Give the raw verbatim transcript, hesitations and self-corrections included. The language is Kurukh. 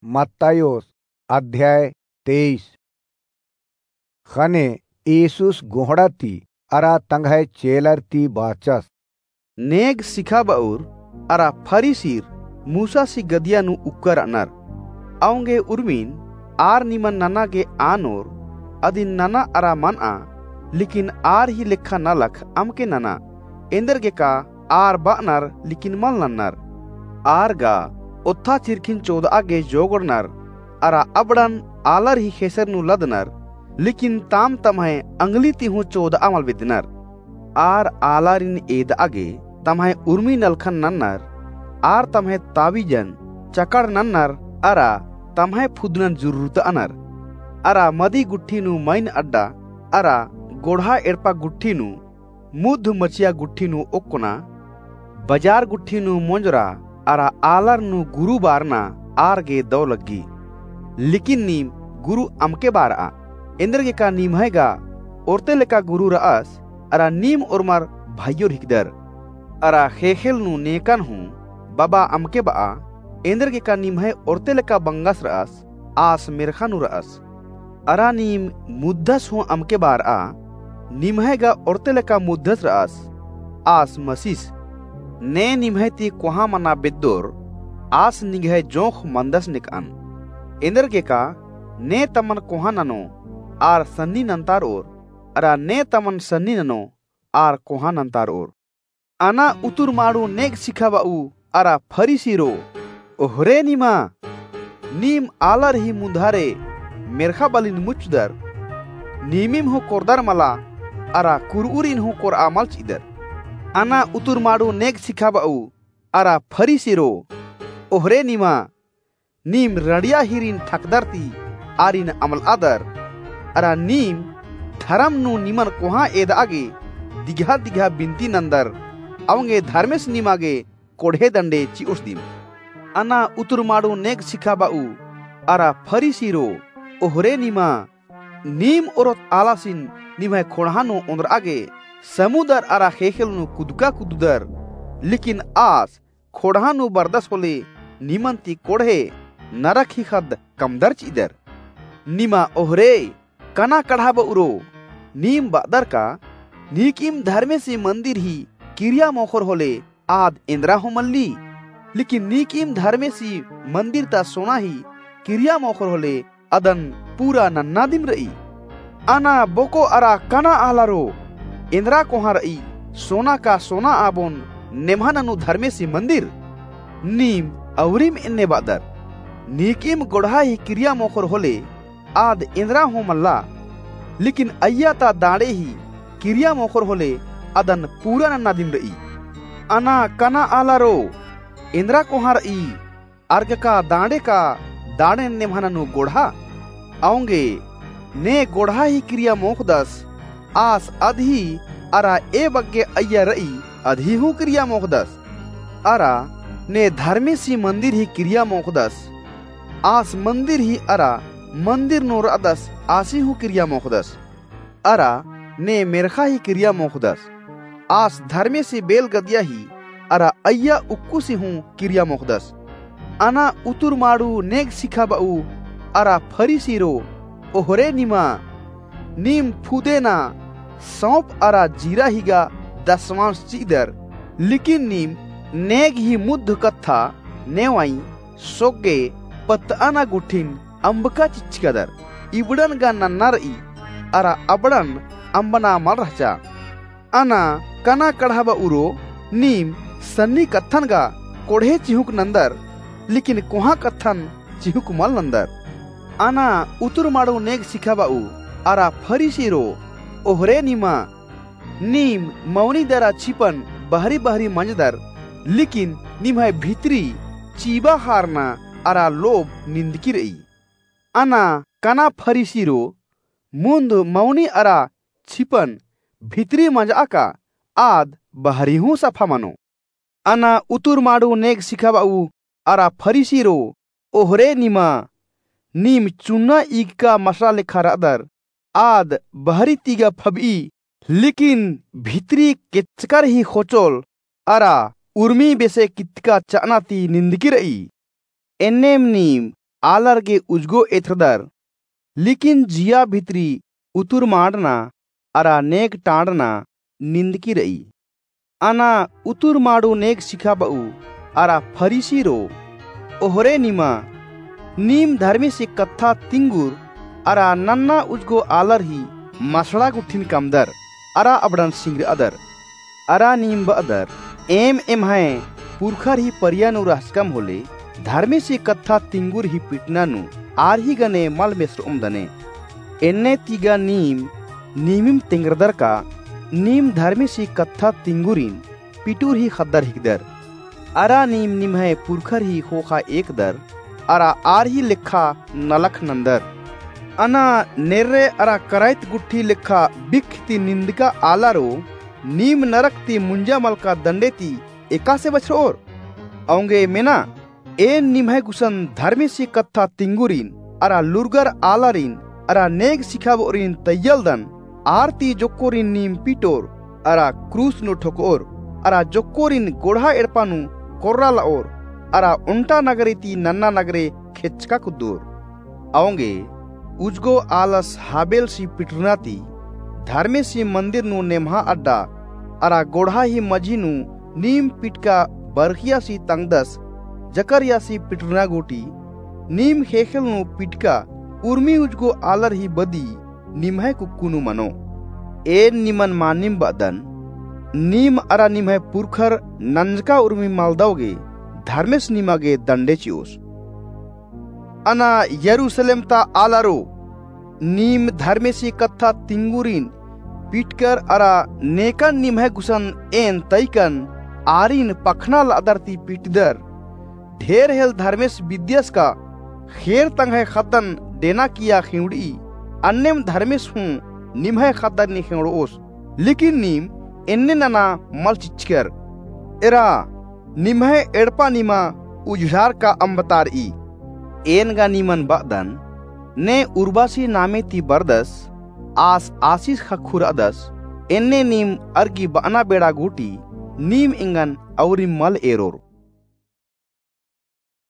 मत्तायोस अध्याय तेईस। ख़ने येसुस गोहड़ा ती अरा तंग्है चेलर ती बाचस। नेग सिखाब'उर अरा फरीसीर मूसासी गदिया नू उक्कर र'अनर। औंगे उर्मिन आर निमन नना गे आनोर, अदिन नना अरा मन'आ, लेकिन आर ही लेखा नलख अमके नना। एन्देरगेका आर ब'अनर लेकिन मल नन्नर। आर गा ओत्था चिरखिन चोद'आ गे जोगड़नर, अरा अबड़न आलर ही ख़ेसेर नू लदनर, लेकिन ताम तम्है अंगली ती हूँ चोद'आ मल बेद्दनर। आर आलारिन एद'आ गे तम्है उर्मी नलखन नन्नर, आर तम्है ताबीजन चकड़ नन्नर, अरा तम्है फुदनन जुर्रुत'अनर। अरा मदी गुट्ठी नू मइन अड्डा, अरा गोड़हा एड़पा गुट्ठी नू मुद्ध मचिया गुट्ठी नू ओक्कना, बजार गुट्ठी नू मोंजरा अरा आलर नू गुरु बारना आर गे दौ लग्गी। लेकिन नीम गुरु अमके बार'आ, एन्देरगेका निम्है गा ओर्ते लेका गुरु र'अस, अरा नीम ओर्मर भइयोर हिकदर। अरा ख़ेख़ेल नू नेकन हूँ बबा अमके ब'आ, एन्देरगेका निम्है ओर्ते लेका बंगस र'अस, आस मेर्ख़ा नू र'अस। अरा नीम मुद्दस हूँ अमके बार'आ, निम्है गा ओर्ते लेका मुद्दस र'अस, आस मसिस। ने निम्है ती कोहाँ मना बेद्दोर, आस निंग्है जोंख़ मंदस नेक'अन। एन्देरगेका ने तमन कोहाँ ननो, आर सन्नी नन्तार'ओर, अरा ने तमन सन्नी ननो, आर कोहाँ नन्तार'ओर। अना उतुर माड़ू नेग सिखाब'ऊ अरा फरीसीरो, ओहरे निमा! नीम आलर ही मुन्धारे मेर्ख़ा बलिन मुच्चदर, नीमिम हूँ कोरदर मला, अरा कुर'उरिन हूँ कोर'आ मल चि'अदर। अना उतुर माड़ू नेग सिखाब'ऊ अरा फरीसीरो, ओहरे निमा! नीम रंड़िया हीरिन ठकदर ती आरिन अमल'अदर, अरा नीम धरम नू निमन कोहाँ एद'आ गे दिगहा दिगहा बिन्ती नन्दर, औंगे धर्मेस निमा गे कोड़हे दंडे चि'ओस दिम। अना उतुर माड़ू नेग सिखाब'ऊ अरा फरीसीरो, ओहरे निमा! नीम ओरोत आलासिन निम्है ख़ोंड़हा नू ओन्द्र'आ गे समुदर अरा ख़ेख़ेल नू कुदका कुददर, लेकिन आस ख़ोंड़हा नू बरदस होले निमन ती कोड़हे नरख ही ख़द्द कमदर चि'अदर। निमा ओहरे कना कड़हाब'उरो, नीम ब'अदर का, नीकिम धर्मेसी मन्दिर ही किरिया मोख़ोर होले आद एन्द्रा हूँ मल्ली, लेकिन नीकिम धर्मेसी मन्दिर ता सोना ही किरिया मोख़ोर होले अदन पूरा नन्ना दिम र'ई। अना बोको अरा कना आलारो, एन्द्रा कोहाँ र'ई सोना का सोना आबोन नेम्हा ननू धर्मेसी मन्दिर? नीम अउरिम एन्ने ब'अदर, नीकिम गोड़हा ही किरिया मोख़ोर होले आद एन्द्रा हूँ मल्ला, लेकिन अइय्या ता दांड़े ही किरिया मोख़ोर होले अदन पूरा नन्ना दिम र'ई। अना कना आलारो, एन्द्रा कोहाँ र'ई, अर्गका दांड़े का दांड़ेन नेम्हा ननू गोड़हा? औंगे ने गोड़हा ही किरिया मोख़दस, आस अदही अरा ए बग्गे अइय्या र'ई अदही हूँ किरिया मोख़दस। अरा ने धर्मेसी मन्दिर ही किरिया मोख़दस, आस मन्दिर ही अरा मन्दिर नू र'अदस आसी हूँ किरिया मोख़दस। अरा ने मेर्ख़ा ही किरिया मोख़दस, आस धर्मेसी बेलगदिया ही अरा अइय्या उक्कुसी हूँ किरिया मोख़दस। अना उतुर माड़ू नेग सिखाब'ऊ अरा फरीसीरो, ओहरे निमा! नीम फुदेना सौंप अरा जीरा ही गा दसवांस चि'अदर, लेकिन नीम नेग ही मुद्ध कत्था नेवाई सोग्गे पत्त'अना गुट्ठिन अम्बका चिच्चकदर। इबड़न गा नन्ना र'ई, अरा अबड़न अम्बना मल रहचा। अना कना कड़हाब'उरो, नीम सन्नी कत्थन गा कोड़हे चिहुंक नन्दर, लेकिन कोहाँ कत्थन चिहुंक मल नन्दर। अना उतुर माड़ू नेग सिखाब'ऊ अरा फरीसीरो, ओहरे निमा! नीम मौनी दरा छिपन बहरी बहरी मंजदर, लेकिन निम्है भितरी चीबा हारना अरा लोभ निंदकी र'ई। अना कना फरीसीरो, मुन्ध मौनी अरा छिपन भितरी मंज'आ का, आद बहरी हूँ सफा मनो। अना उतुर माड़ू नेग सिखाब'ऊ अरा फरीसीरो, ओहरे निमा! नीम चुन्ना ईगका मसड़ा लेखा र'अदर, आद बहरी ती गा फब'ई, लेकिन भितरी केचकर ही ख़ोचोल अरा उर्मी बेसे कितका च'अना ती निंदकी र'ई। एन्नेम नीम आलर गे उजगो एथरदर, लेकिन जिया भितरी उतुरमाड़ना अरा नेग टाड़ना निंदकी र'ई। अना उतुरमाड़ू नेग सिखाब'ऊ अरा फरीसीरो, ओहरे निमा, नीम धर्मेसी कत्था तिंगुर अरा नन्ना उजगो आलर ही मसड़ा गुट्ठिन कमदर अरा अबड़न सिंगर'अदर। अरा नीम ब'अदर, एम एम्है पुरखर ही परिया नू रहचकम होले, धर्मेसी कत्था तिंगुर ही पिटना नू आर ही गने मल मेसर'ओम दने। एन्ने ती गा नीम नीमिम तेंगरदर का, नीम धर्मेसी कत्था तिंगुरिन पिटुर ही ख़द्दर हिकदर। अरा नीम निम्है पुरखर ही ख़ोख़ा एकदर, अरा आर ही लेखा नलख नन्दर। अना नेर्रे अरा कराइत गुट्ठी लेखा बिख ती निंदका आलारो, नीम नरक ती मुंजा मलका दंडे ती एकासे बछर'ओर? औंगे मेना, एन निम्है गुसन धर्मेसी कत्था तिंगुरिन, अरा लूरगर आलारिन, अरा नेग सिखाब'ओरिन तैय्यलदन, आर ती जोक्कोरिन नीम पिटोर, अरा क्रूस नू ठोक'ओर, अरा जोक्कोरिन गोड़हा एड़पा नू कोर्रा ल'ओर, अरा ओन्टा नगरे ती नन्ना नगरे खेचका कुद्दोर। औंगे उजगो आलस हाबेलसी पिटरना ती, धर्मेसी मंदिर नू नेम्हा अड्डा, अरा गोड़हा ही मझी नू नीम पिटका बरखियासी तंगदस जकरियासी पिटरना गूटी, नीम ख़ेख़ेल नू पिटका उर्मी उजगो आलर ही बदी निम्है कुक्कु नू मनो। एन निमन मानिम ब'अदन, नीम अरा निम्है पुरखर नंजका उर्मी मलदव गे धर्मेस निमा गे दंडे चि'ओस। अना यरूसलेम ता आलारो, नीम धर्मेसी कत्था तिंगुरिन पिटकर अरा नेकन निम्है गुसन एन तइकन आरिन पखना ल'अदर ती पिटदर। ढेर हेल धर्मेस बिद्दियस का ख़ेर तंग्है ख़द्दन डेना किया ख़ेंवड़'ई, अन्नेम धर्मेस हूँ निम्है ख़द्दन नी ख़ेंवड़'ओस। लेकिन नीम एन्ने नना मल चिच्चकर। एरा, निम्है एड़पा निमा उझड़ार का अम्बतार'ई। एन गा निमन ब'अदन, ने उर्बासी नामे ती बरदस, आस आसिस ख़क्खु र'अदस, एन्ने नीम अरगी ब'अना बेड़ा गूटी, नीम एंगन अउरिम मल एरोर।